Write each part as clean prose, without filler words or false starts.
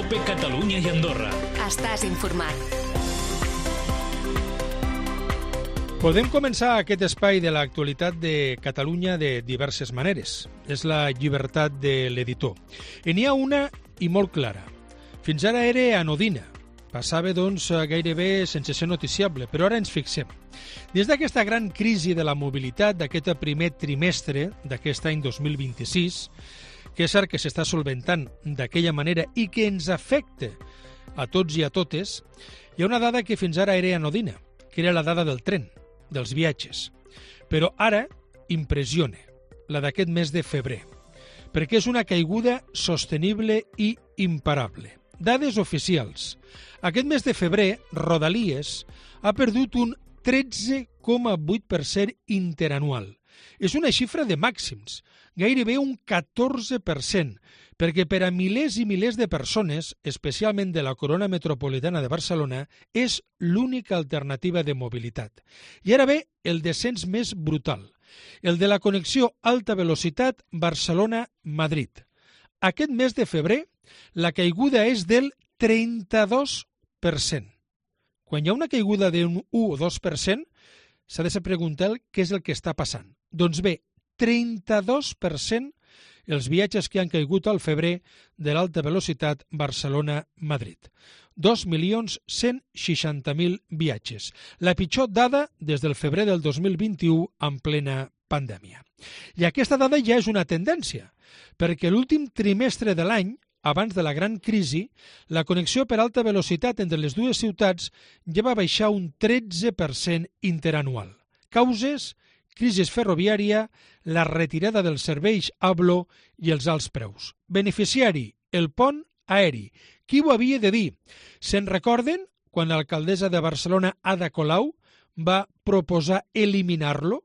COPE Catalunya i Andorra. Estàs informat. Podem començar aquest espai de l'actualitat de Catalunya de diverses maneres. És la llibertat de l'editor. I n'hi ha una i molt clara. Fins ara era anodina. Passava, doncs, gairebé sense ser noticiable, però ara ens fixem. Des d'aquesta gran crisi de la mobilitat d'aquest primer trimestre d'aquest any 2026, que és cert que s'està solventant d'aquella manera i que ens afecta a tots i a totes, hi ha una dada que fins ara era anodina, que era la dada del tren, dels viatges. Però ara impressiona, la d'aquest mes de febrer, perquè és una caiguda sostenible i imparable. Dades oficials. Aquest mes de febrer, Rodalies ha perdut un 13,8% interanual. És una xifra de màxims, gairebé un 14%, perquè per a milers i milers de persones, especialment de la corona metropolitana de Barcelona, és l'única alternativa de mobilitat. I ara ve el descens més brutal, el de la connexió alta velocitat Barcelona-Madrid. Aquest mes de febrer, la caiguda és del 32%. Quan hi ha una caiguda d'un 1 o 2%, s'ha de preguntar què és el que està passant. Doncs bé, 32% els viatges que han caigut al febrer de l'alta velocitat Barcelona-Madrid. 2.160.000 viatges. La pitjor dada des del febrer del 2021 en plena pandèmia. I aquesta dada ja és una tendència, perquè l'últim trimestre de l'any, abans de la gran crisi, la connexió per alta velocitat entre les dues ciutats ja va baixar un 13% interanual. Causes: crisi ferroviària, la retirada dels serveis ABLO i els alts preus. Beneficiari: el pont aeri. Qui ho havia de dir? Se'n recorden quan l'alcaldessa de Barcelona, Ada Colau, va proposar eliminar-lo?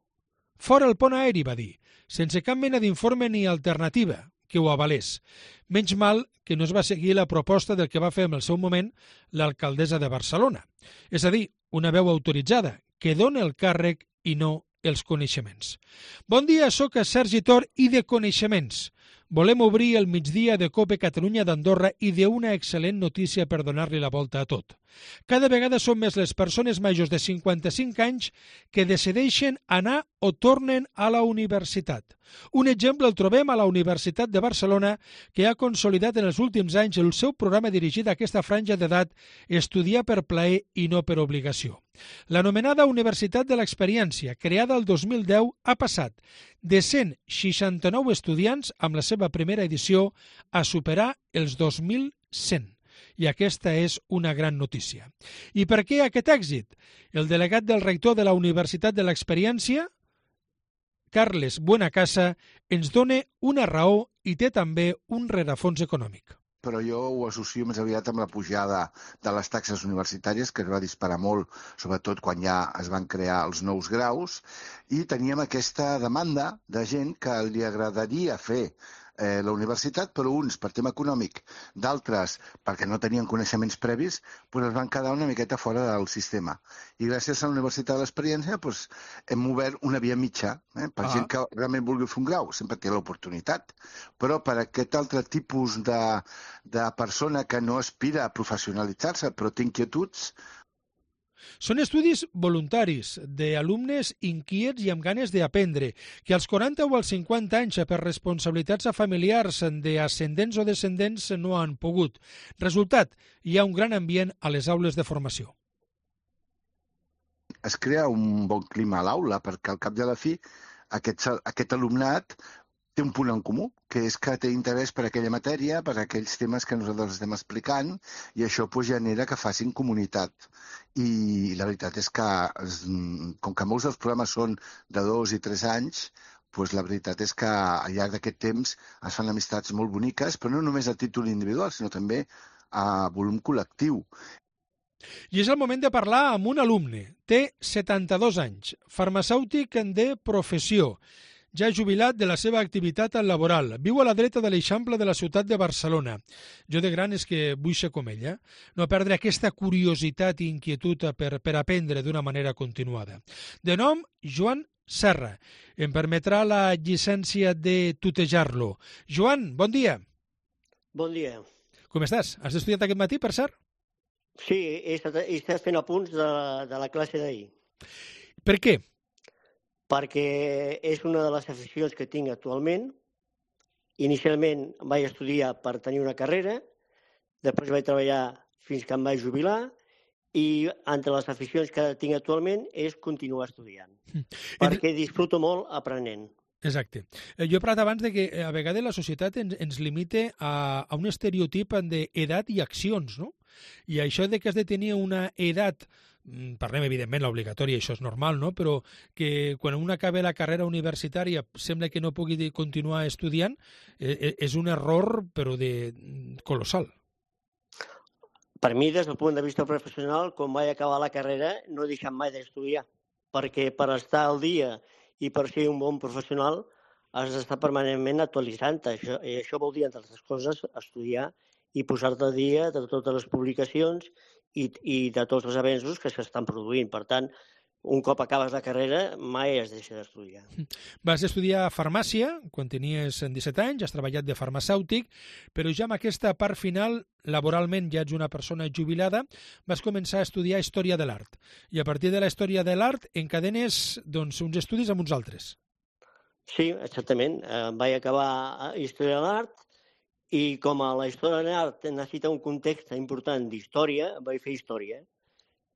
Fora el pont aeri, va dir, sense cap mena d'informe ni alternativa que ho avalés. Menys mal que no es va seguir la proposta del que va fer en el seu moment l'alcaldessa de Barcelona. És a dir, una veu autoritzada, que dona el càrrec i no els coneixements. Bon dia, sóc Sergi Tor i de coneixements. Volem obrir el migdia de COPE Catalunya d'Andorra i d'una excel·lent notícia per donar-li la volta a tot. Cada vegada són més les persones majors de 55 anys que decideixen anar o tornen a la universitat. Un exemple el trobem a la Universitat de Barcelona, que ha consolidat en els últims anys el seu programa dirigit a aquesta franja d'edat, estudiar per plaer i no per obligació. L'anomenada Universitat de l'Experiència, creada el 2010, ha passat de 169 estudiants amb la seva primera edició a superar els 2.100. I aquesta és una gran notícia. I per què aquest èxit? El delegat del rector de la Universitat de l'Experiència, Carles Buenacasa, ens dona una raó i té també un rerefons econòmic. Però jo ho associo més aviat amb la pujada de les taxes universitàries, que es va disparar molt, sobretot quan ja es van crear els nous graus, i teníem aquesta demanda de gent que li agradaria fer la universitat, però uns per tema econòmic, d'altres perquè no tenien coneixements previs, es van quedar una miqueta fora del sistema. I gràcies a la Universitat de l'Experiència hem obert una via mitja, per gent que realment vulgui fer un grau, sempre té l'oportunitat, però per aquest altre tipus de persona que no aspira a professionalitzar-se, però té inquietuds. Són estudis voluntaris d'alumnes inquiets i amb ganes d'aprendre, que als 40 o als 50 anys per responsabilitats familiars d'ascendents o descendents no han pogut. Resultat, hi ha un gran ambient a les aules de formació. Es crea un bon clima a l'aula perquè al cap de la fi aquest alumnat té un punt en comú, que és que té interès per aquella matèria, per aquells temes que nosaltres estem explicant, i això genera que facin comunitat. I la veritat és que, com que molts dels programes són de 2 i 3 anys, la veritat és que al llarg d'aquest temps es fan amistats molt boniques, però no només a títol individual, sinó també a volum col·lectiu. I és el moment de parlar amb un alumne. Té 72 anys, farmacèutic de professió, ja jubilat de la seva activitat laboral. Viu a la dreta de l'Eixample de la ciutat de Barcelona. Jo de gran és que vull ser com ella, no perdre aquesta curiositat i inquietud per aprendre d'una manera continuada. De nom, Joan Serra. Em permetrà la llicència de tutejar-lo. Joan, bon dia. Bon dia. Com estàs? Has estudiat aquest matí, per cert? Sí, he estat fent apunts de la classe d'ahir, Per què? perquè és una de les aficions que tinc actualment. Inicialment vaig estudiar per tenir una carrera, després vaig treballar fins que em vaig jubilar, i entre les aficions que tinc actualment és continuar estudiant, perquè disfruto molt aprenent. Exacte. Jo he parlat abans de que a vegades la societat ens limita a un estereotip d'edat i accions, no? I això de que has de tenir una edat, parlem evidentment l'obligatòria, això és normal, no? Però que quan un acaba la carrera universitària sembla que no pugui continuar estudiant, és un error però colossal. Per mi, des del punt de vista professional, quan vaig acabar la carrera, no he deixat mai d'estudiar, perquè per estar al dia i per ser un bon professional has d'estar permanentment actualitzant-te. Això vol dir, entre altres coses, estudiar i posar-te al dia de totes les publicacions i de tots els avenços que s'estan produint. Per tant, un cop acabes la carrera, mai es deixa d'estudiar. Vas estudiar farmàcia quan tenies 17 anys, has treballat de farmacèutic, però ja amb aquesta part final, laboralment ja ets una persona jubilada, vas començar a estudiar Història de l'Art. I a partir de la Història de l'Art encadenes uns estudis amb uns altres. Sí, exactament. Vaig acabar Història de l'Art i com a la Història de l'Art necessita un context important d'història, vaig fer Història.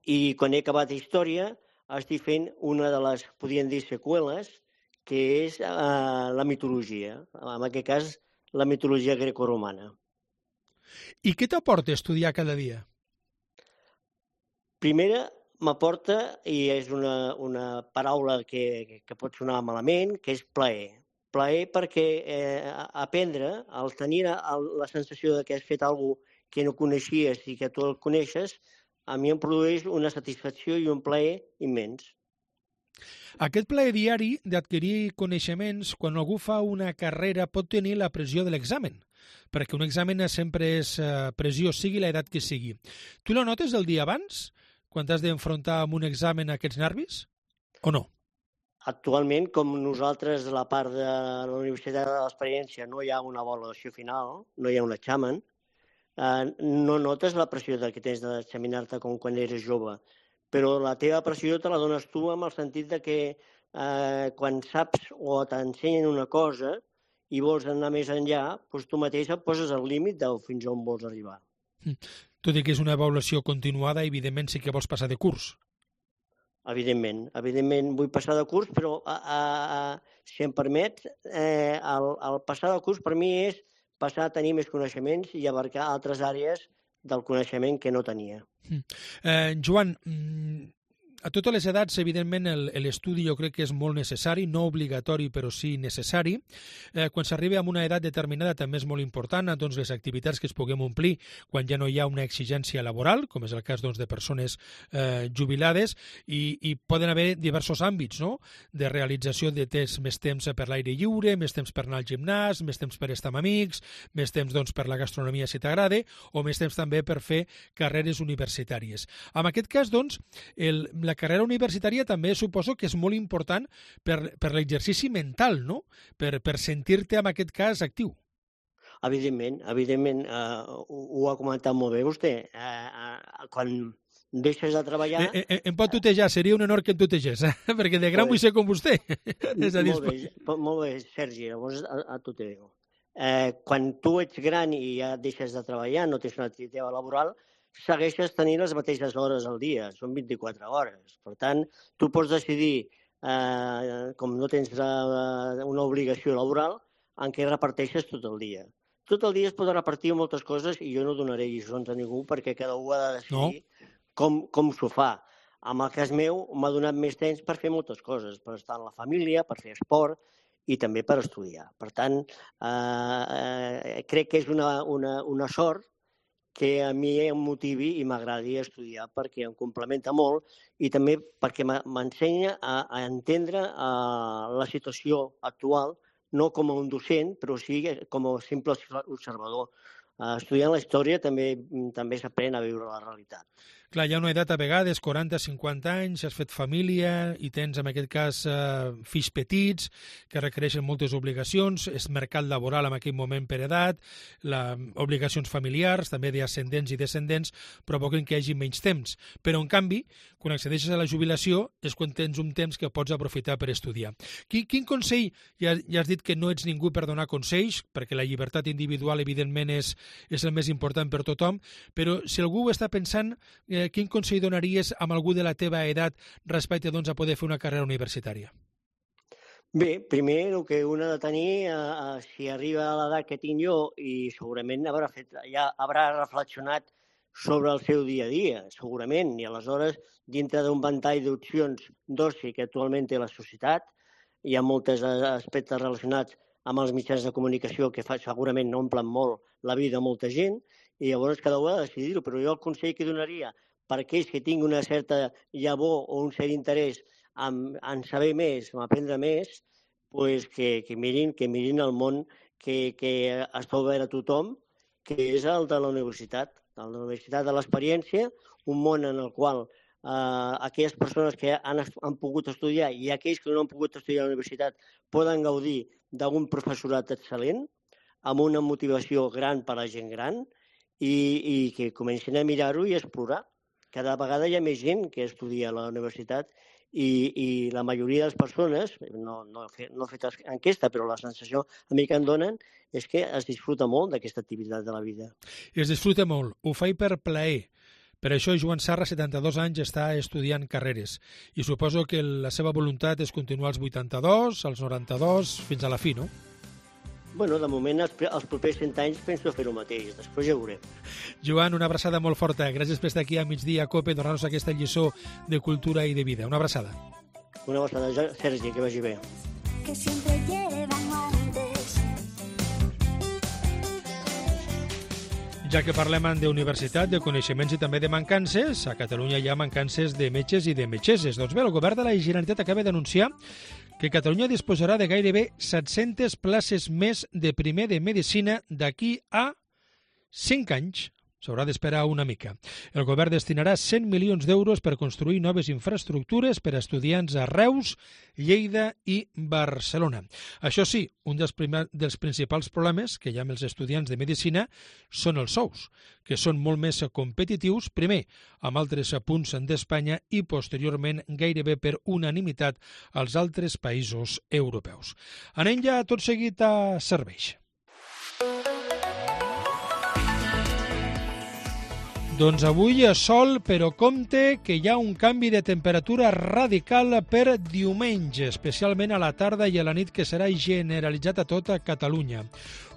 I quan he acabat Història estic fent una de les, podríem dir, seqüeles, que és la mitologia, en aquest cas la mitologia grecoromana. I què t'aporta estudiar cada dia? Primera, m'aporta, i és una paraula que pot sonar malament, que és plaer. Plaer perquè aprendre, al tenir la sensació que has fet alguna cosa que no coneixies i que tu el coneixes, a mi em produeix una satisfacció i un plaer immens. Aquest plaer diari d'adquirir coneixements, quan algú fa una carrera, pot tenir la pressió de l'examen, perquè un examen sempre és pressió, sigui l'edat que sigui. Tu la notes el dia abans, quan t'has d'enfrontar amb un examen aquests nervis, o no? Actualment, com nosaltres, a la part de la Universitat de l'Experiència, no hi ha una avaluació final, no hi ha un examen, no notes la pressió que tens d'examinar-te com quan eres jove, però la teva pressió te la dones tu amb el sentit de que quan saps o t'ensenyen una cosa i vols anar més enllà, doncs tu mateix et poses al límit de fins on vols arribar. Tot i que és una avaluació continuada, evidentment sí que vols passar de curs. Evidentment vull passar de curs, però si em permet, el passar de curs per mi és passar a tenir més coneixements i abarcar altres àrees del coneixement que no tenia. Joan, a totes les edats, evidentment, l'estudi jo crec que és molt necessari, no obligatori, però sí necessari. Quan s'arriba a una edat determinada també és molt important doncs, les activitats que es puguem omplir quan ja no hi ha una exigència laboral, com és el cas de persones jubilades, i poden haver diversos àmbits, no?, de realització de més temps per l'aire lliure, més temps per anar al gimnàs, més temps per estar amb amics, més temps per la gastronomia si t'agrada, o més temps també per fer carreres universitàries. En aquest cas, doncs, la carrera universitària també suposo que és molt important per l'exercici mental, no?, per sentir-te, en aquest cas, actiu. Evidentment, ho ha comentat molt bé vostè. Quan deixes de treballar... Em pot tutejar, seria un honor que em tutegés, perquè de gran vull ser com vostè. Molt bé, Sergi, llavors a tu te digo. Quan tu ets gran i ja deixes de treballar, no tens una activitat laboral, segueixes tenint les mateixes hores al dia, són 24 hores. Per tant, tu pots decidir, com no tens una obligació laboral, en què reparteixes tot el dia. Tot el dia es pot repartir moltes coses i jo no donaré lliçons a ningú perquè cada un ha de decidir com s'ho fa. En el cas meu m'ha donat més temps per fer moltes coses, per estar amb la família, per fer esport i també per estudiar. Per tant, crec que és una sort que a mi em motivi i m'agradi estudiar perquè em complementa molt i també perquè m'ensenya a entendre la situació actual, no com a un docent, però sí com a simple observador. Estudiant la història també s'aprèn a viure la realitat. Clar, hi ha una edat a vegades, 40-50 anys, has fet família i tens, en aquest cas, fills petits que requereixen moltes obligacions, és mercat laboral en aquell moment per edat, obligacions familiars, també d'ascendents i descendents, provoquen que hi hagi menys temps. Però, en canvi, quan accedeixes a la jubilació és quan tens un temps que pots aprofitar per estudiar. Quin consell, ja has dit que no ets ningú per donar consells, perquè la llibertat individual, evidentment, és el més important per tothom, però si algú està pensant, quin consell donaries a algú de la teva edat respecte a poder fer una carrera universitària? Bé, primer el que un ha de tenir, si arriba a l'edat que tinc jo, i segurament haurà reflexionat sobre el seu dia a dia, segurament, i aleshores, dintre d'un ventall d'opcions d'oci que actualment té la societat, hi ha molts aspectes relacionats amb els mitjans de comunicació que segurament no omplen molt la vida de molta gent, i llavors cada un ha de decidir-ho. Però jo el consell que donaria per aquells que tinguin una certa llavor o un cert interès en saber més, en aprendre més, pues que mirin el món que està obert a tothom, que és el de la universitat. La universitat de l'experiència, un món en el qual aquelles persones que han pogut estudiar i aquells que no han pogut estudiar a la universitat poden gaudir d'un professorat excel·lent, amb una motivació gran per a la gent gran, i que comencin a mirar-ho i a explorar. Cada vegada hi ha més gent que estudia a la universitat i la majoria de les persones, no he fet enquesta, però la sensació a mi que em donen és que es disfruta molt d'aquesta activitat de la vida. Es disfruta molt, ho faig per plaer. Per això Joan Sarra, 72 anys, està estudiant carreres i suposo que la seva voluntat és continuar als 82, als 92, fins a la fi, no? Bueno, de moment, els propers 100 anys penso fer el mateix, després ja ho veurem. Joan, una abraçada molt forta. Gràcies per estar aquí a Migdia COPE, donar-nos aquesta lliçó de cultura i de vida. Una abraçada. Una abraçada, Sergi, que vagi bé. Que siempre llevan antes. Ja que parlem d'universitat, de coneixements i també de mancances, a Catalunya hi ha mancances de metges i de metgesses. Doncs bé, el govern de la Generalitat acaba d'anunciar que Catalunya disposarà de gairebé 700 places més de primer de medicina d'aquí a 5 anys. S'haurà d'esperar una mica. El govern destinarà 100 milions d'euros per construir noves infraestructures per a estudiants a Reus, Lleida i Barcelona. Això sí, un dels principals problemes que hi ha amb els estudiants de medicina són els sous, que són molt més competitius, primer amb altres punts d'Espanya i posteriorment gairebé per unanimitat als altres països europeus. Anem ja tot seguit a serveis. Doncs avui sol, però compte que hi ha un canvi de temperatura radical per diumenge, especialment a la tarda i a la nit, que serà generalitzat a tota Catalunya.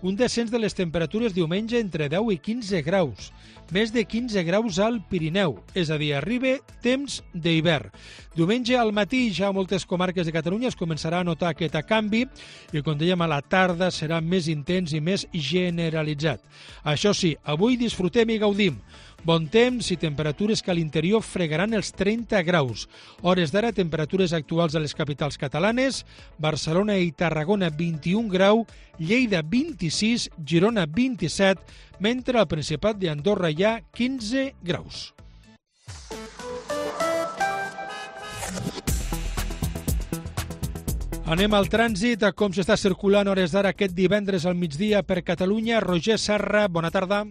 Un descens de les temperatures diumenge entre 10 i 15 graus, més de 15 graus al Pirineu, és a dir, arriba temps d'hivern. Diumenge al matí ja a moltes comarques de Catalunya es començarà a notar aquest canvi i, com dèiem, a la tarda serà més intens i més generalitzat. Això sí, avui disfrutem i gaudim. Bon temps i temperatures que a l'interior fregaran els 30 graus. Hores d'ara, temperatures actuals a les capitals catalanes, Barcelona i Tarragona 21 grau, Lleida 26, Girona 27, mentre al Principat d'Andorra hi ha 15 graus. Anem al trànsit, a com s'està circulant hores d'ara aquest divendres al migdia per Catalunya. Roger Serra, bona tarda.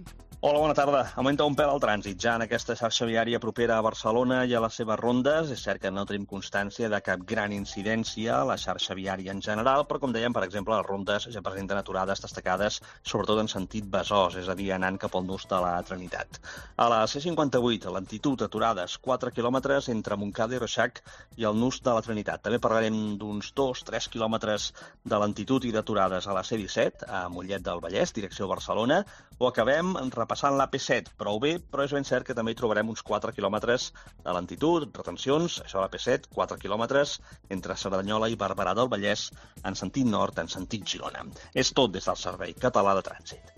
Hola, bona tarda. Augmenta un pèl el trànsit ja en aquesta xarxa viària propera a Barcelona i a les seves rondes. És cert que no tenim constància de cap gran incidència a la xarxa viària en general, però com dèiem, per exemple, les rondes ja presenten aturades destacades, sobretot en sentit Besòs, és a dir, anant cap al nus de la Trinitat. A la C58, a lentitud, aturades 4 quilòmetres entre Montcada i Reixac i el nus de la Trinitat. També parlarem d'uns 2-3 quilòmetres de lentitud i d'aturades a la C17, a Mollet del Vallès, direcció Barcelona, o acabem repassant l'AP7, prou bé, però és ben cert que també hi trobarem uns 4 quilòmetres de lentitud, retencions, això a l'AP7, 4 quilòmetres entre Cerdanyola i Barberà del Vallès, en sentit nord, en sentit Girona. És tot des del Servei Català de Trànsit.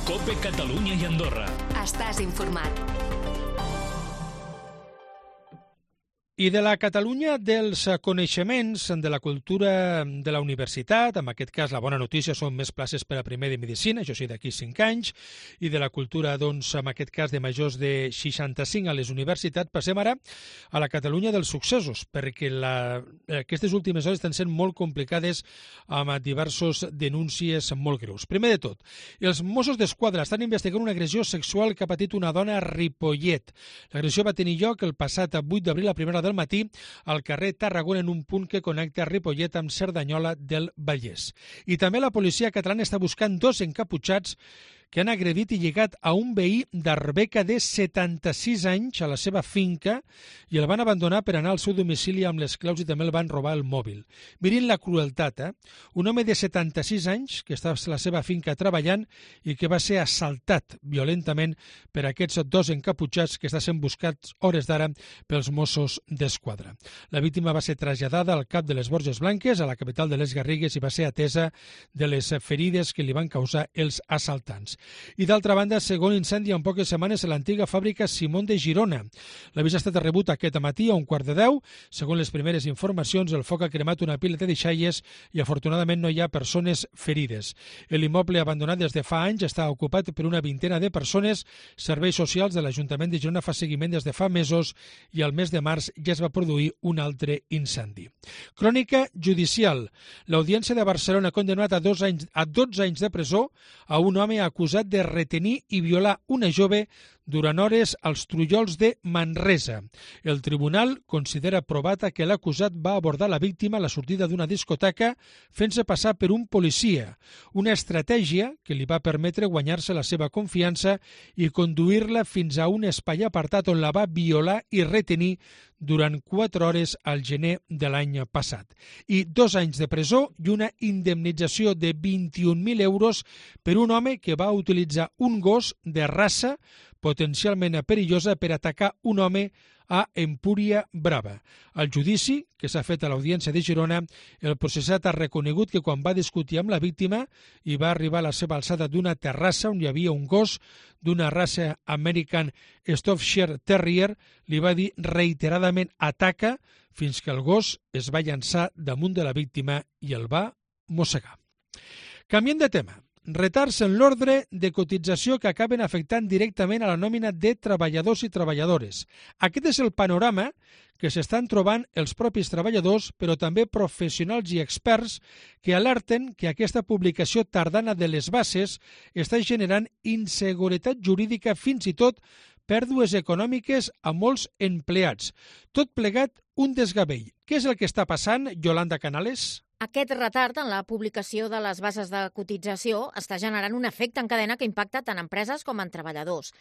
COPE Catalunya i Andorra. Estàs informat. I de la Catalunya dels coneixements, de la cultura de la universitat, en aquest cas la bona notícia són més places per a primer de Medicina, això sí, d'aquí 5 anys, i de la cultura, doncs, en aquest cas de majors de 65 a les universitats, passem ara a la Catalunya dels successos, perquè aquestes últimes hores estan sent molt complicades amb diversos denúncies molt greus. Primer de tot, els Mossos d'Esquadra estan investigant una agressió sexual que ha patit una dona a Ripollet. L'agressió va tenir lloc el passat 8 d'abril a primera del matí al carrer Tarragona en un punt que connecta Ripollet amb Cerdanyola del Vallès. I també la policia catalana està buscant 2 encaputxats que han agredit i lligat a un veí d'Arbeca de 76 anys a la seva finca i el van abandonar per anar al seu domicili amb les claus i també el van robar el mòbil. Mirin la crueltat, Un home de 76 anys que està a la seva finca treballant i que va ser assaltat violentament per aquests 2 encaputxats que estan sent buscats hores d'ara pels Mossos d'Esquadra. La víctima va ser traslladada al CAP de les Borges Blanques, a la capital de les Garrigues, i va ser atesa de les ferides que li van causar els assaltants. I d'altra banda, segon incendi en poques setmanes a l'antiga fàbrica Simón de Girona. L'avís ha estat rebut aquest matí a 9:15. Segons les primeres informacions, el foc ha cremat una pila de deixalles i afortunadament no hi ha persones ferides. L'immoble abandonat des de fa anys està ocupat per una vintena de persones. Serveis socials de l'Ajuntament de Girona fa seguiment des de fa mesos i al mes de març ja es va produir un altre incendi. Crònica judicial. L'Audiència de Barcelona ha condemnat a 12 anys de presó a un home acusat de retenir i violar una jove durant hores als Trullols de Manresa. El tribunal considera provat que l'acusat va abordar la víctima a la sortida d'una discoteca fent-se passar per un policia, una estratègia que li va permetre guanyar-se la seva confiança i conduir-la fins a un espai apartat on la va violar i retenir durant 4 hores al gener de l'any passat. I 2 anys de presó i una indemnització de 21.000 euros per un home que va utilitzar un gos de raça potencialment perillosa per atacar un home a Empúria Brava. Al judici, que s'ha fet a l'Audiència de Girona, el processat ha reconegut que quan va discutir amb la víctima i va arribar a la seva alçada d'una terrassa on hi havia un gos d'una raça American Staffordshire Terrier, li va dir reiteradament ataca fins que el gos es va llançar damunt de la víctima i el va mossegar. Canviem de tema. Retards en l'ordre de cotització que acaben afectant directament a la nòmina de treballadors i treballadores. Aquest és el panorama que s'estan trobant els propis treballadors, però també professionals i experts que alerten que aquesta publicació tardana de les bases està generant inseguretat jurídica, fins i tot pèrdues econòmiques a molts empleats. Tot plegat un desgavell. Què és el que està passant, Yolanda Canales? Aquest retard en la publicació de les bases de cotització està generant un efecte en cadena que impacta tant empreses com en treballadors.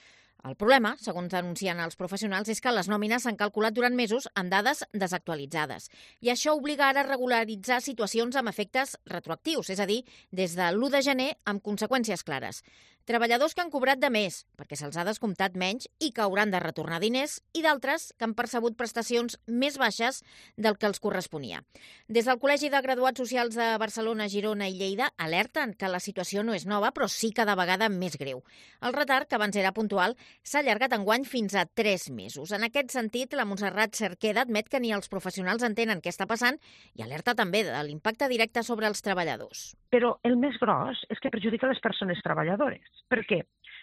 El problema, segons denuncien els professionals, és que les nòmines s'han calculat durant mesos amb dades desactualitzades. I això obliga ara a regularitzar situacions amb efectes retroactius, és a dir, des de l'1 de gener amb conseqüències clares. Treballadors que han cobrat de més, perquè se'ls ha descomptat menys i que hauran de retornar diners, i d'altres que han percebut prestacions més baixes del que els corresponia. Des del Col·legi de Graduats Socials de Barcelona, Girona i Lleida alerten que la situació no és nova, però sí cada vegada més greu. El retard, que abans era puntual, s'ha allargat enguany fins a 3 mesos. En aquest sentit, la Montserrat Cerqueda admet que ni els professionals entenen què està passant i alerta també de l'impacte directe sobre els treballadors. Però el més gros és que perjudica les persones treballadores. Per què?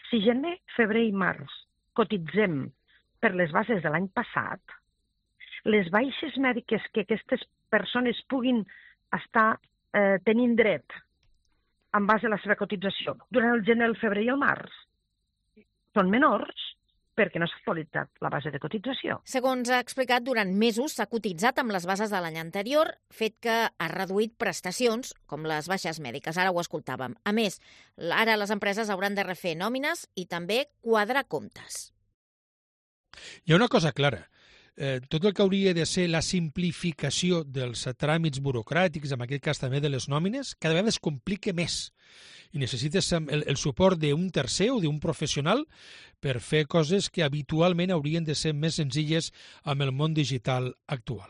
Si gener, febrer i març cotitzem per les bases de l'any passat, les baixes mèdiques que aquestes persones puguin estar tenint dret en base a la seva cotització durant el gener, el febrer i el març són menors perquè no s'ha actualitzat la base de cotització. Segons ha explicat, durant mesos s'ha cotitzat amb les bases de l'any anterior, fet que ha reduït prestacions, com les baixes mèdiques, ara ho escoltàvem. A més, ara les empreses hauran de refer nòmines i també quadrar comptes. Hi ha una cosa clara. Tot el que hauria de ser la simplificació dels tràmits burocràtics, en aquest cas també de les nòmines, cada vegada es complica més. I necessites el suport d'un tercer o d'un professional per fer coses que habitualment haurien de ser més senzilles amb el món digital actual.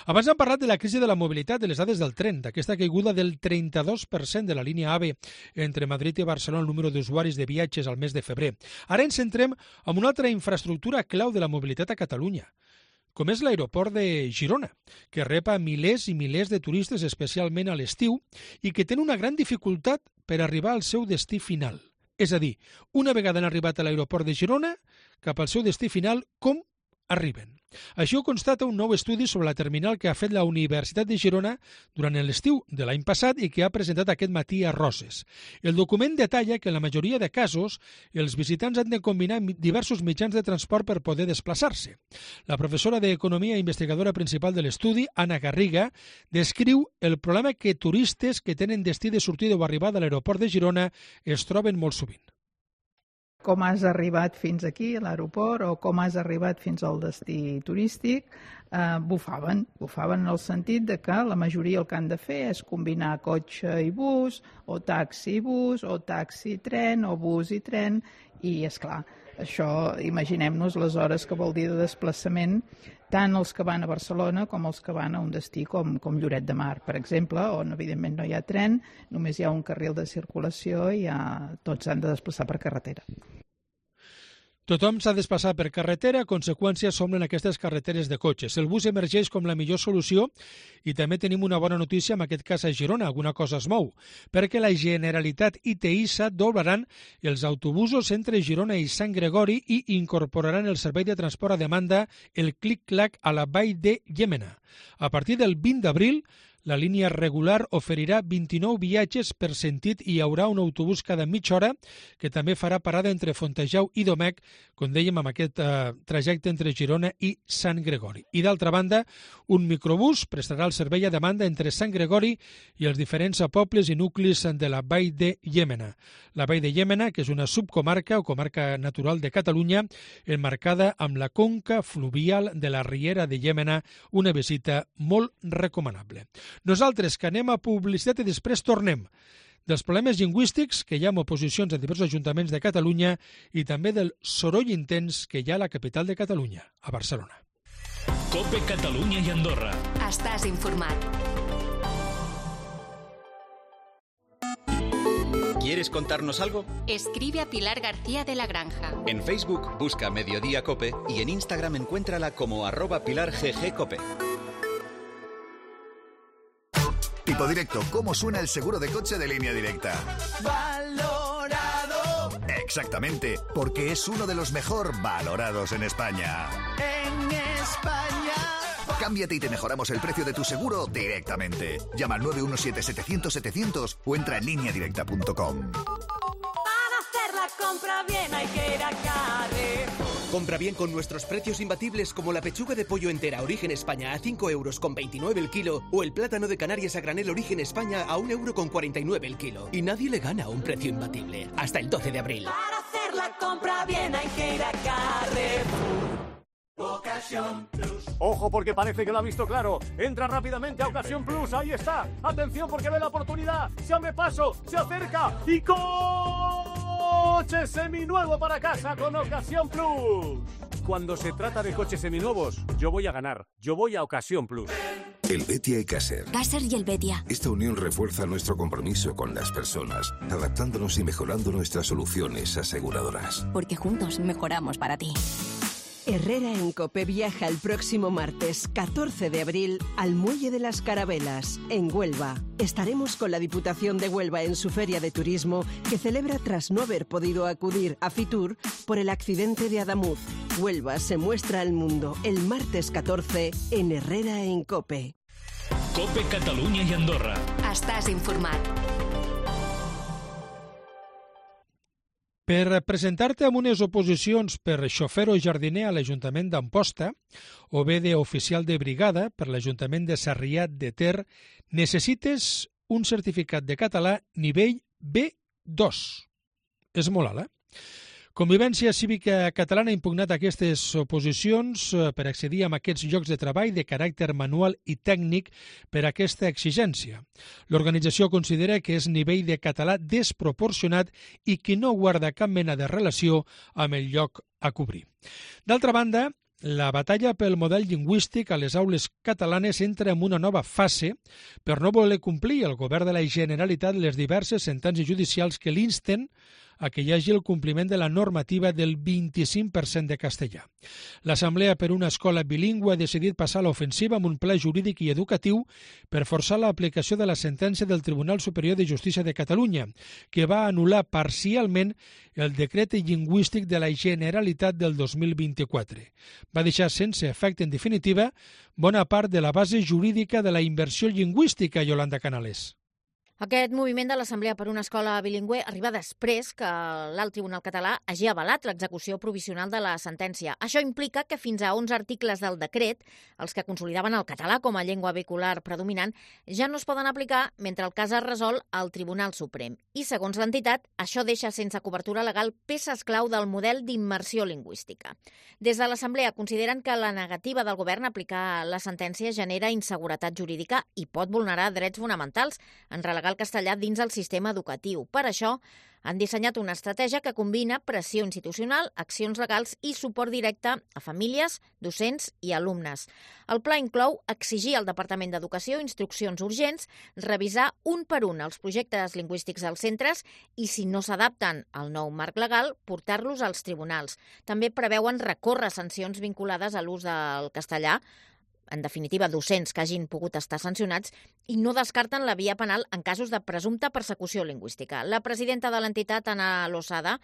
Abans hem parlat de la crisi de la mobilitat, de les dades del tren, d'aquesta caiguda del 32% de la línia AVE entre Madrid i Barcelona, el número d'usuaris de viatges al mes de febrer. Ara ens centrem en una altra infraestructura clau de la mobilitat a Catalunya. com és l'aeroport de Girona, que rep a milers i milers de turistes, especialment a l'estiu, i que té una gran dificultat per arribar al seu destí final. És a dir, una vegada han arribat a l'aeroport de Girona, cap al seu destí final, com arriben. Això ho constata un nou estudi sobre la terminal que ha fet la Universitat de Girona durant l'estiu de l'any passat i que ha presentat aquest matí a Roses. El document detalla que en la majoria de casos els visitants han de combinar diversos mitjans de transport per poder desplaçar-se. La professora d'Economia i investigadora principal de l'estudi, Anna Garriga, descriu el problema que turistes que tenen destí de sortida o arribada a l'aeroport de Girona es troben molt sovint. Com has arribat fins aquí, a l'aeroport, o com has arribat fins al destí turístic, bufaven en el sentit de que la majoria el que han de fer és combinar cotxe i bus, o taxi i bus, o taxi i tren, o bus i tren, i és clar, això imaginem-nos les hores que vol dir de desplaçament, tant els que van a Barcelona com els que van a un destí com Lloret de Mar, per exemple, on evidentment no hi ha tren, només hi ha un carril de circulació i tots s'han de desplaçar per carretera. Tothom s'ha de desplaçar per carretera, a conseqüència s'omplen aquestes carreteres de cotxes. El bus emergeix com la millor solució i també tenim una bona notícia, en aquest cas a Girona, alguna cosa es mou, perquè la Generalitat i TEISA doblaran els autobusos entre Girona i Sant Gregori i incorporaran el servei de transport a demanda, el Clic-Clac, a la Vall de Llémena. A partir del 20 d'abril, la línia regular oferirà 29 viatges per sentit i hi haurà un autobús cada mitja hora que també farà parada entre Fontejau i Domèc, com dèiem, amb aquest trajecte entre Girona i Sant Gregori. I d'altra banda, un microbús prestarà el servei a demanda entre Sant Gregori i els diferents pobles i nuclis de la Vall de Llémena. La Vall de Llémena, que és una subcomarca o comarca natural de Catalunya, emmarcada amb la conca fluvial de la Riera de Llémena, una visita molt recomanable. Nosaltres, que anem a publicitat i després tornem dels problemes lingüístics que hi ha amb oposicions a diversos ajuntaments de Catalunya i també del soroll intens que hi ha a la capital de Catalunya, a Barcelona. COPE Catalunya i Andorra. Estàs informat. ¿Quieres contarnos algo? Escribe a Pilar García de la Granja. En Facebook busca Mediodía Cope y en Instagram encuéntrala como @PilarGGCope. Tipo Directo, ¿cómo suena el seguro de coche de Línea Directa? Valorado. Exactamente, porque es uno de los mejor valorados en España. En España. Cámbiate y te mejoramos el precio de tu seguro directamente. Llama al 917-700-700 o entra en lineadirecta.com. Para hacer la compra bien hay que ir a Carrefour. Compra bien con nuestros precios imbatibles como la pechuga de pollo entera Origen España a 5,29 € el kilo o el plátano de Canarias a granel Origen España a 1,49 € el kilo. Y nadie le gana a un precio imbatible. Hasta el 12 de abril. Para hacer la compra bien hay que ir a Carrefour. Ocasión Plus. Ojo, porque parece que lo ha visto claro. Entra rápidamente a Ocasión Plus. Ahí está. Atención, porque ve la oportunidad. Se abre paso, se acerca y coche seminuevo para casa con Ocasión Plus. Cuando se trata de coches seminuevos, yo voy a ganar. Yo voy a Ocasión Plus. El Betia y Caser. Caser y el Betia. Esta unión refuerza nuestro compromiso con las personas, adaptándonos y mejorando nuestras soluciones aseguradoras. Porque juntos mejoramos para ti. Herrera en Cope viaja el próximo martes 14 de abril al Muelle de las Carabelas, en Huelva. Estaremos con la Diputación de Huelva en su feria de turismo que celebra tras no haber podido acudir a Fitur por el accidente de Adamuz. Huelva se muestra al mundo el martes 14 en Herrera en Cope. COPE Catalunya i Andorra. Estàs informat. Per presentar-te amb unes oposicions per xofer o jardiner a l'Ajuntament d'Amposta o bé d'oficial de brigada per l'Ajuntament de Sarrià de Ter, necessites un certificat de català nivell B2. És molt alt, Convivència Cívica Catalana ha impugnat aquestes oposicions per accedir a aquests llocs de treball de caràcter manual i tècnic per aquesta exigència. L'organització considera que és nivell de català desproporcionat i que no guarda cap mena de relació amb el lloc a cobrir. D'altra banda, la batalla pel model lingüístic a les aules catalanes entra en una nova fase per no voler complir el govern de la Generalitat les diverses sentències judicials que l'insten a que hi hagi el compliment de la normativa del 25% de castellà. L'Assemblea per una Escola Bilingüe ha decidit passar a l'ofensiva amb un pla jurídic i educatiu per forçar l'aplicació de la sentència del Tribunal Superior de Justícia de Catalunya, que va anul·lar parcialment el decret lingüístic de la Generalitat del 2024. Va deixar sense efecte, en definitiva, bona part de la base jurídica de la inversió lingüística, Yolanda Canales. Aquest moviment de l'Assemblea per una Escola Bilingüe arriba després que l'Alt Tribunal Català hagi avalat l'execució provisional de la sentència. Això implica que fins a 11 articles del decret, els que consolidaven el català com a llengua vehicular predominant, ja no es poden aplicar mentre el cas es resol al Tribunal Suprem. I, segons l'entitat, això deixa sense cobertura legal peces clau del model d'immersió lingüística. Des de l'Assemblea consideren que la negativa del govern a aplicar la sentència genera inseguretat jurídica i pot vulnerar drets fonamentals en relegar el castellà dins el sistema educatiu. Per això, han dissenyat una estratègia que combina pressió institucional, accions legals i suport directe a famílies, docents i alumnes. El pla inclou exigir al Departament d'Educació instruccions urgents, revisar un per un els projectes lingüístics als centres i, si no s'adapten al nou marc legal, portar-los als tribunals. També preveuen recórrer sancions vinculades a l'ús del castellà, en definitiva, docents que hagin pogut estar sancionats, i no descarten la via penal en casos de presumpta persecució lingüística. La presidenta de l'entitat, Ana Losada,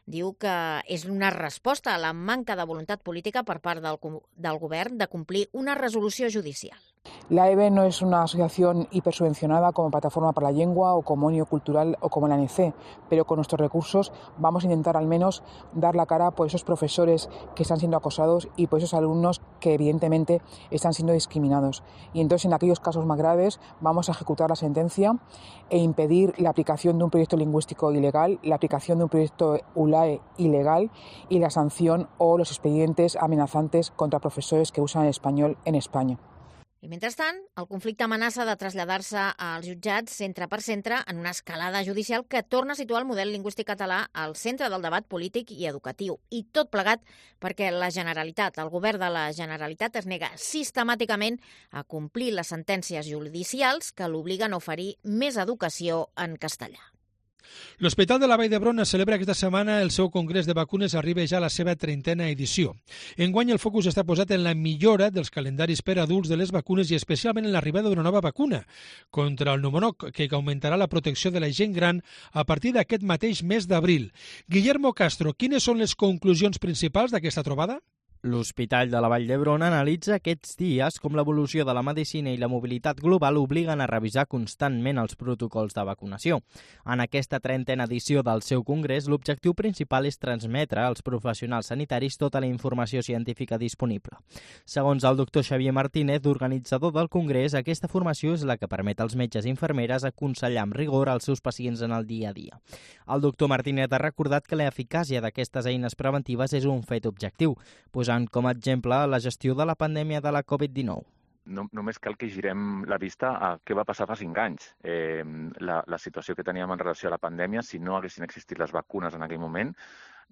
diu que és una resposta a la manca de voluntat política per part del govern de complir una resolució judicial. La EBE no es una asociación hipersubvencionada como Plataforma para la Lengua o como Onio Cultural o como la ANC, pero con nuestros recursos vamos a intentar al menos dar la cara por esos profesores que están siendo acosados y por esos alumnos que evidentemente están siendo discriminados. Y entonces en aquellos casos más graves vamos a ejecutar la sentencia e impedir la aplicación de un proyecto lingüístico ilegal, la aplicación de un proyecto ULAE ilegal y la sanción o los expedientes amenazantes contra profesores que usan el español en España. I mentrestant, el conflicte amenaça de traslladar-se als jutjats centre per centre en una escalada judicial que torna a situar el model lingüístic català al centre del debat polític i educatiu. I tot plegat perquè la Generalitat, el govern de la Generalitat, es nega sistemàticament a complir les sentències judicials que l'obliguen a oferir més educació en castellà. L'Hospital de la Vall d'Hebron celebra aquesta setmana el seu congrés de vacunes, arriba ja a la seva 30a edició. Enguany el focus està posat en la millora dels calendaris per adults de les vacunes i especialment en l'arribada d'una nova vacuna contra el pneumococ, que augmentarà la protecció de la gent gran a partir d'aquest mateix mes d'abril. Guillermo Castro, quines són les conclusions principals d'aquesta trobada? L'Hospital de la Vall d'Hebron analitza aquests dies com l'evolució de la medicina i la mobilitat global obliguen a revisar constantment els protocols de vacunació. En aquesta 30a edició del seu congrés, l'objectiu principal és transmetre als professionals sanitaris tota la informació científica disponible. Segons el doctor Xavier Martínez, organitzador del congrés, aquesta formació és la que permet als metges i infermeres aconsellar amb rigor als seus pacients en el dia a dia. El doctor Martínez ha recordat que l'eficàcia d'aquestes eines preventives és un fet objectiu, posant com a exemple la gestió de la pandèmia de la Covid-19. Només cal que girem la vista a què va passar fa 5 anys. La situació que teníem en relació a la pandèmia, si no haguessin existit les vacunes en aquell moment,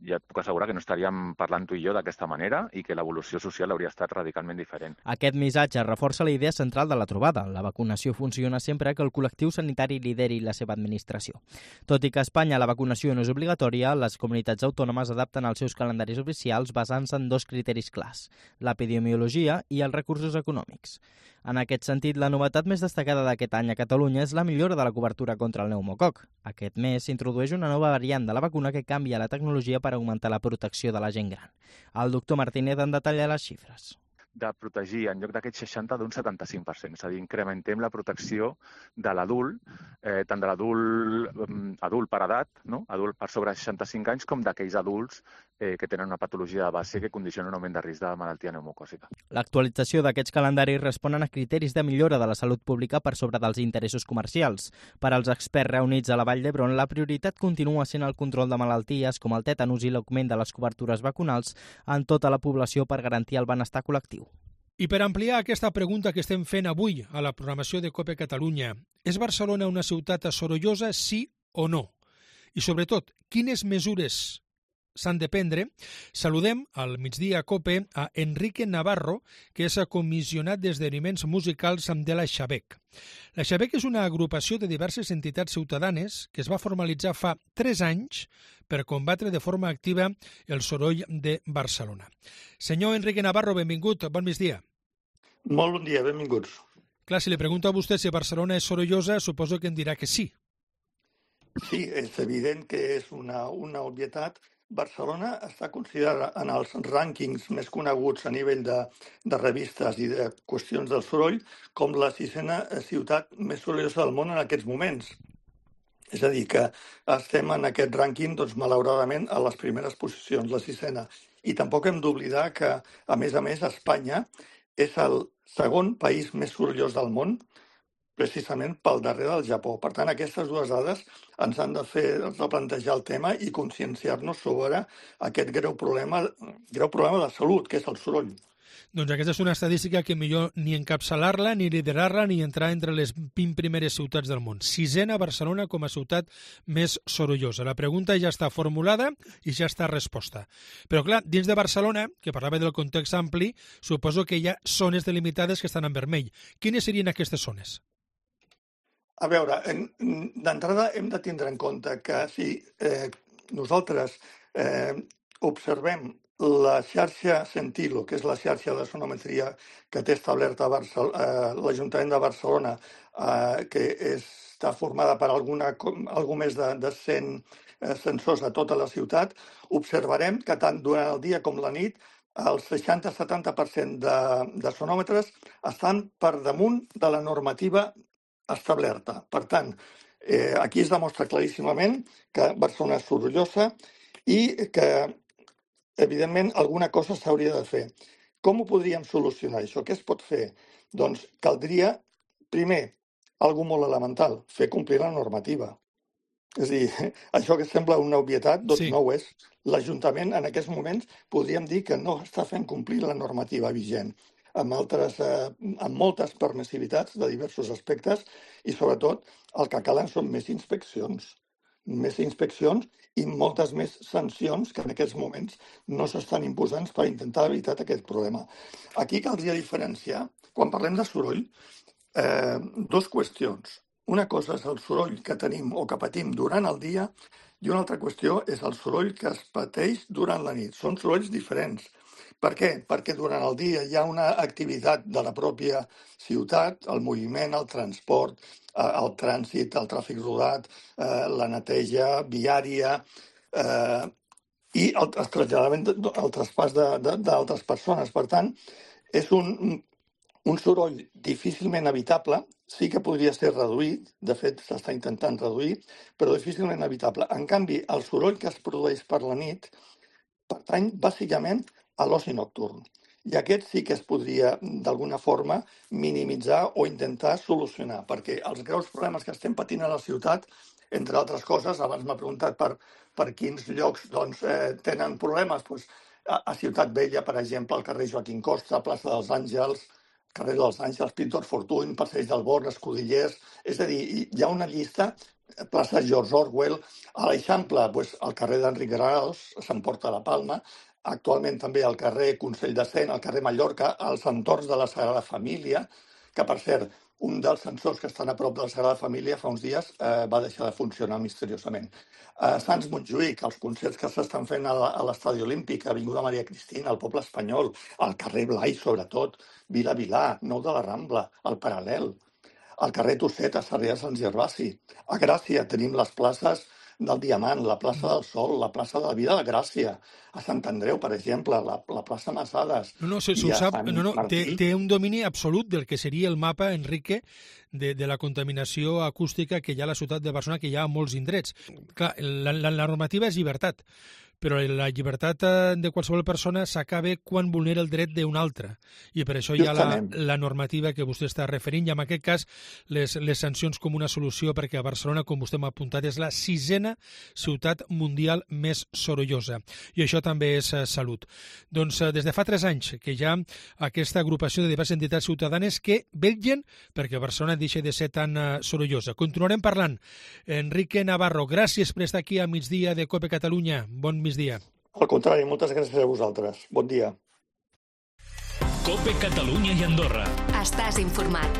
ja et puc assegurar que no estaríem parlant tu i jo d'aquesta manera i que l'evolució social hauria estat radicalment diferent. Aquest missatge reforça la idea central de la trobada. La vacunació funciona sempre que el col·lectiu sanitari lideri la seva administració. Tot i que a Espanya la vacunació no és obligatòria, les comunitats autònomes adapten els seus calendaris oficials basant-se en 2 criteris clars: l'epidemiologia i els recursos econòmics. En aquest sentit, la novetat més destacada d'aquest any a Catalunya és la millora de la cobertura contra el pneumococ. Aquest mes s'introdueix una nova variant de la vacuna que canvia la tecnologia per augmentar la protecció de la gent gran. El doctor Martínez en detalla les xifres. De protegir en lloc d'aquest 60 d'un 75%. És a dir, incrementem la protecció de l'adult, tant de l'adult per edat, no? Adult per sobre 65 anys, com d'aquells adults que tenen una patologia de base que condiciona un augment de risc de malaltia pneumocòcica. L'actualització d'aquests calendaris responen a criteris de millora de la salut pública per sobre dels interessos comercials. Per als experts reunits a la Vall d'Hebron, la prioritat continua sent el control de malalties com el tètanus i l'augment de les cobertures vacunals en tota la població per garantir el benestar col·lectiu. I per ampliar aquesta pregunta que estem fent avui a la programació de COPE Catalunya, és Barcelona una ciutat sorollosa, sí o no? I sobretot, quines mesures s'han de prendre, saludem al migdia a COPE a Enrique Navarro, que és comissionat d'esdeveniments musicals de la Xabec. La Xabec és una agrupació de diverses entitats ciutadanes que es va formalitzar fa 3 anys per combatre de forma activa el soroll de Barcelona. Senyor Enrique Navarro, benvingut, bon migdia. Molt bon dia, benvinguts. Clar, si li pregunto a vostè si Barcelona és sorollosa, suposo que em dirà que sí. Sí, és evident que és una obvietat. Barcelona està considerada en els rànquings més coneguts a nivell de revistes i de qüestions del soroll com la 6a ciutat més sorollosa del món en aquests moments. És a dir, que estem en aquest rànquing, doncs, malauradament, a les primeres posicions, la 6a. I tampoc hem d'oblidar que, a més, Espanya és el segon país més sorollós del món, precisament pel darrere del Japó. Per tant, aquestes dues dades ens han de fer replantejar el tema i conscienciar-nos sobre aquest greu problema de salut, que és el soroll. Doncs aquesta és una estadística que millor ni encapçalar-la, ni liderar-la, ni entrar entre les 20 primeres ciutats del món. 6a Barcelona com a ciutat més sorollosa. La pregunta ja està formulada i ja està resposta. Però clar, dins de Barcelona, que parlava del context ampli, suposo que hi ha zones delimitades que estan en vermell. Quines serien aquestes zones? A veure, d'entrada hem de tindre en compte que si nosaltres observem la xarxa Sentilo, que és la xarxa de sonometria que té establerta l'Ajuntament de Barcelona, que està formada per algú més de 100 sensors a tota la ciutat, observarem que tant durant el dia com la nit el 60-70% de sonòmetres estan per damunt de la normativa establerta. Per tant, aquí es demostra claríssimament que Barcelona és sorollosa i que, evidentment, alguna cosa s'hauria de fer. Com ho podríem solucionar, això? Què es pot fer? Doncs caldria, primer, algo molt elemental, fer complir la normativa. És a dir, això que sembla una obvietat, doncs no ho és. L'Ajuntament, en aquests moments, podríem dir que no està fent complir la normativa vigent, amb moltes permissivitats de diversos aspectes i, sobretot, el que calen són més inspeccions i moltes més sancions que en aquests moments no s'estan imposant per intentar evitar aquest problema. Aquí caldria diferenciar, quan parlem de soroll, dues qüestions. Una cosa és el soroll que tenim o que patim durant el dia i una altra qüestió és el soroll que es pateix durant la nit. Són sorolls diferents. Per què? Perquè durant el dia hi ha una activitat de la pròpia ciutat, el moviment, el transport, el trànsit, el tràfic rodat, la neteja viària i el traslladament, el traspàs d'altres persones. Per tant, és un soroll difícilment evitable, sí que podria ser reduït, de fet s'està intentant reduir, però difícilment evitable. En canvi, el soroll que es produeix per la nit pertany bàsicament a l'oci nocturn. I aquest sí que es podria, d'alguna forma, minimitzar o intentar solucionar, perquè els greus problemes que estem patint a la ciutat, entre altres coses, abans m'ha preguntat per quins llocs tenen problemes, a Ciutat Vella, per exemple, al carrer Joaquim Costa, plaça dels Àngels, carrer dels Àngels, Pintor Fortuny, Passeig del Born, Escudellers... És a dir, hi ha una llista, plaça George Orwell, a l'Eixample, al carrer d'Enric Granados, s'emporta la Palma, actualment també al carrer Consell de Cent, al carrer Mallorca, als entorns de la Sagrada Família, que, per cert, un dels sensors que estan a prop de la Sagrada Família fa uns dies va deixar de funcionar misteriosament. Sants Montjuïc, els concerts que s'estan fent a l'Estadi Olímpic, Avinguda Maria Cristina, al Poble Espanyol, al carrer Blai, sobretot, Vila Vilà, Nou de la Rambla, al Paral·lel, al carrer Tosset, a Sarrià de Sant Gervasi. A Gràcia tenim les places del Diamant, la plaça del Sol, la plaça de la Vida de Gràcia, a Sant Andreu, per exemple, la plaça Massades. Té un domini absolut del que seria el mapa, Enrique, de la contaminació acústica que hi ha a la ciutat de Barcelona, que hi ha a molts indrets. Clar, la normativa és llibertat, però la llibertat de qualsevol persona s'acaba quan vulnera el dret d'un altre. I per això hi ha la normativa que vostè està referint, i en aquest cas les sancions com una solució, perquè a Barcelona, com vostè m'ha apuntat, és la 6a ciutat mundial més sorollosa. I això també és salut. Doncs des de fa 3 anys que hi ha aquesta agrupació de diverses entitats ciutadanes que vetllen perquè Barcelona deixi de ser tan sorollosa. Continuarem parlant. Enrique Navarro, gràcies per estar aquí a migdia de COPE Catalunya. Bon migdia. Al contrari, moltes gràcies a vosaltres. Bon dia. COPE Catalunya i Andorra. Estàs informat.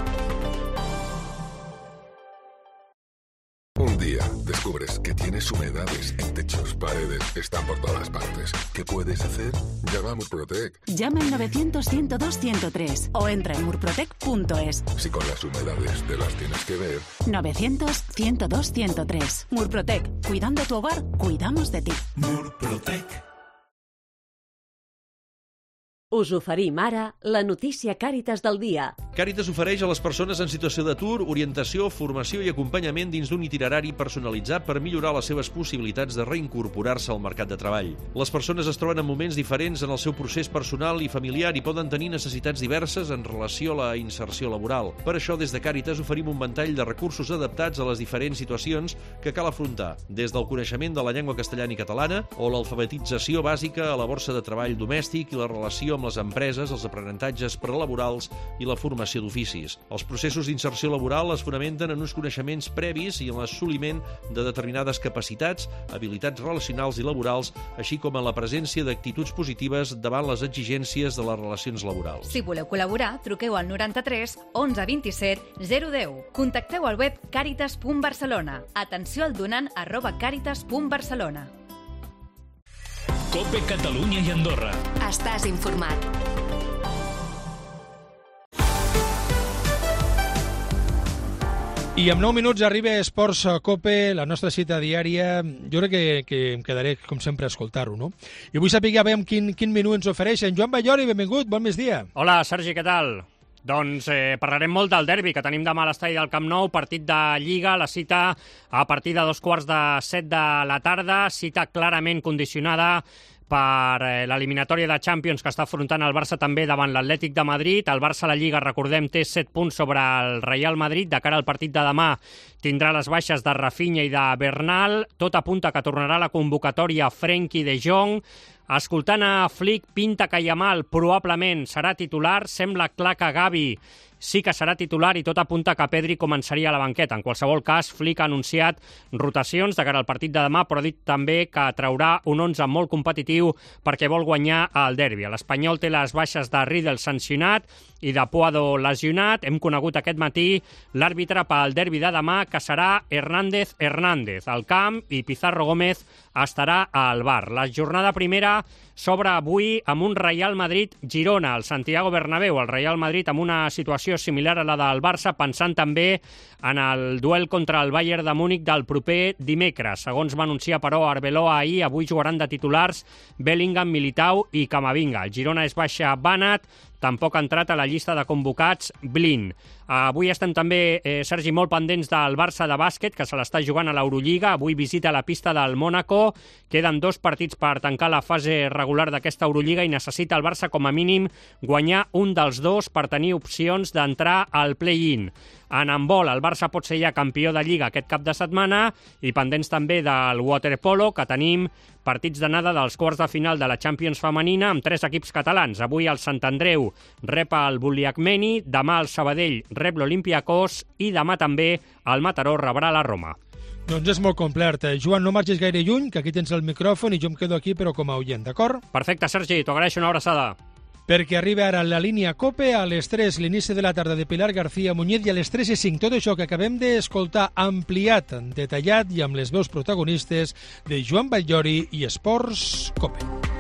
Un día descubres que tienes humedades en techos, paredes, están por todas partes. ¿Qué puedes hacer? Llama a Murprotec. Llama al 900-102-103 o entra en murprotec.es. Si con las humedades te las tienes que ver. 900-102-103. Murprotec. Cuidando tu hogar, cuidamos de ti. Murprotec. Us oferim ara la notícia Càritas del dia. Càritas ofereix a les persones en situació d'atur orientació, formació i acompanyament dins d'un itinerari personalitzat per millorar les seves possibilitats de reincorporar-se al mercat de treball. Les persones es troben en moments diferents en el seu procés personal i familiar i poden tenir necessitats diverses en relació a la inserció laboral. Per això, des de Càritas oferim un ventall de recursos adaptats a les diferents situacions que cal afrontar, des del coneixement de la llengua castellana i catalana o l'alfabetització bàsica a la borsa de treball domèstic i la relació amb les empreses, els aprenentatges prelaborals i la formació d'oficis. Els processos d'inserció laboral es fonamenten en uns coneixements previs i en l'assoliment de determinades capacitats, habilitats relacionals i laborals, així com en la presència d'actituds positives davant les exigències de les relacions laborals. Si voleu col·laborar, truqueu al 93 11 27 010. Contacteu al web caritas.barcelona. Atenció al donant @caritas.barcelona. COPE Catalunya i Andorra. Estàs informat. I en 9 minuts arriba Esports COPE, la nostra cita diària. Jo crec que em quedaré, com sempre, a escoltar-ho, no? I vull saber quin menú ens ofereixen. Joan Ballori, benvingut, bon migdia. Hola, Sergi, què tal? Doncs parlarem molt del derbi que tenim demà a l'estadi del Camp Nou, partit de Lliga, la cita a partir de 7:15 de la tarda, cita clarament condicionada per l'eliminatòria de Champions que està afrontant el Barça també davant l'Atlètic de Madrid. El Barça a la Lliga, recordem, té 7 punts sobre el Real Madrid. De cara al partit de demà tindrà les baixes de Rafinha i de Bernal. Tot apunta que tornarà a la convocatòria Frenkie de Jong. Escoltant a Flick, pinta que Yamal probablement serà titular. Sembla clar que Gavi sí que serà titular i tot apunta que Pedri començaria a la banqueta. En qualsevol cas, Flick ha anunciat rotacions de cara al partit de demà, però ha dit també que traurà un 11 molt competitiu perquè vol guanyar el derbi. L'Espanyol té les baixes de Riedel sancionat i de Puado lesionat. Hem conegut aquest matí l'àrbitre pel derbi de demà, que serà Hernández al camp i Pizarro Gómez estarà al bar. La jornada primera s'obre avui amb un Real Madrid-Girona al Santiago Bernabéu. El Real Madrid amb una situació similar a la del Barça, pensant també en el duel contra el Bayern de Múnich del proper dimecres. Segons va anunciar, però, Arbeloa ahir, avui jugaran de titulars Bellingham, Militao i Camavinga. El Girona és baixa Banat, tampoc ha entrat a la llista de convocats Blin. Avui estem també, Sergi, molt pendents del Barça de bàsquet, que se l'està jugant a l'Eurolliga. Avui visita la pista del Mónaco. Queden 2 partits per tancar la fase regular d'aquesta Eurolliga i necessita el Barça, com a mínim, guanyar un dels 2 per tenir opcions d'entrar al play-in. En handbol, el Barça pot ser ja campió de Lliga aquest cap de setmana i pendents també del waterpolo, que tenim partits d'anada dels quarts de final de la Champions femenina amb 3 equips catalans. Avui el Sant Andreu rep el Buliacmeni, demà el Sabadell rep l'Olympiacos i demà també el Mataró rebrà la Roma. Doncs és molt complet. Joan, no marxis gaire lluny, que aquí tens el micròfon i jo em quedo aquí però com a oient, d'acord? Perfecte, Sergi, t'ho agraeixo, una abraçada. Perquè arriba ara la línia COPE a les 3, l'inici de la tarda de Pilar García Muñiz, i a les 3:05 tot això que acabem d'escoltar ampliat, detallat i amb les veus protagonistes de Joan Ballori i Esports COPE.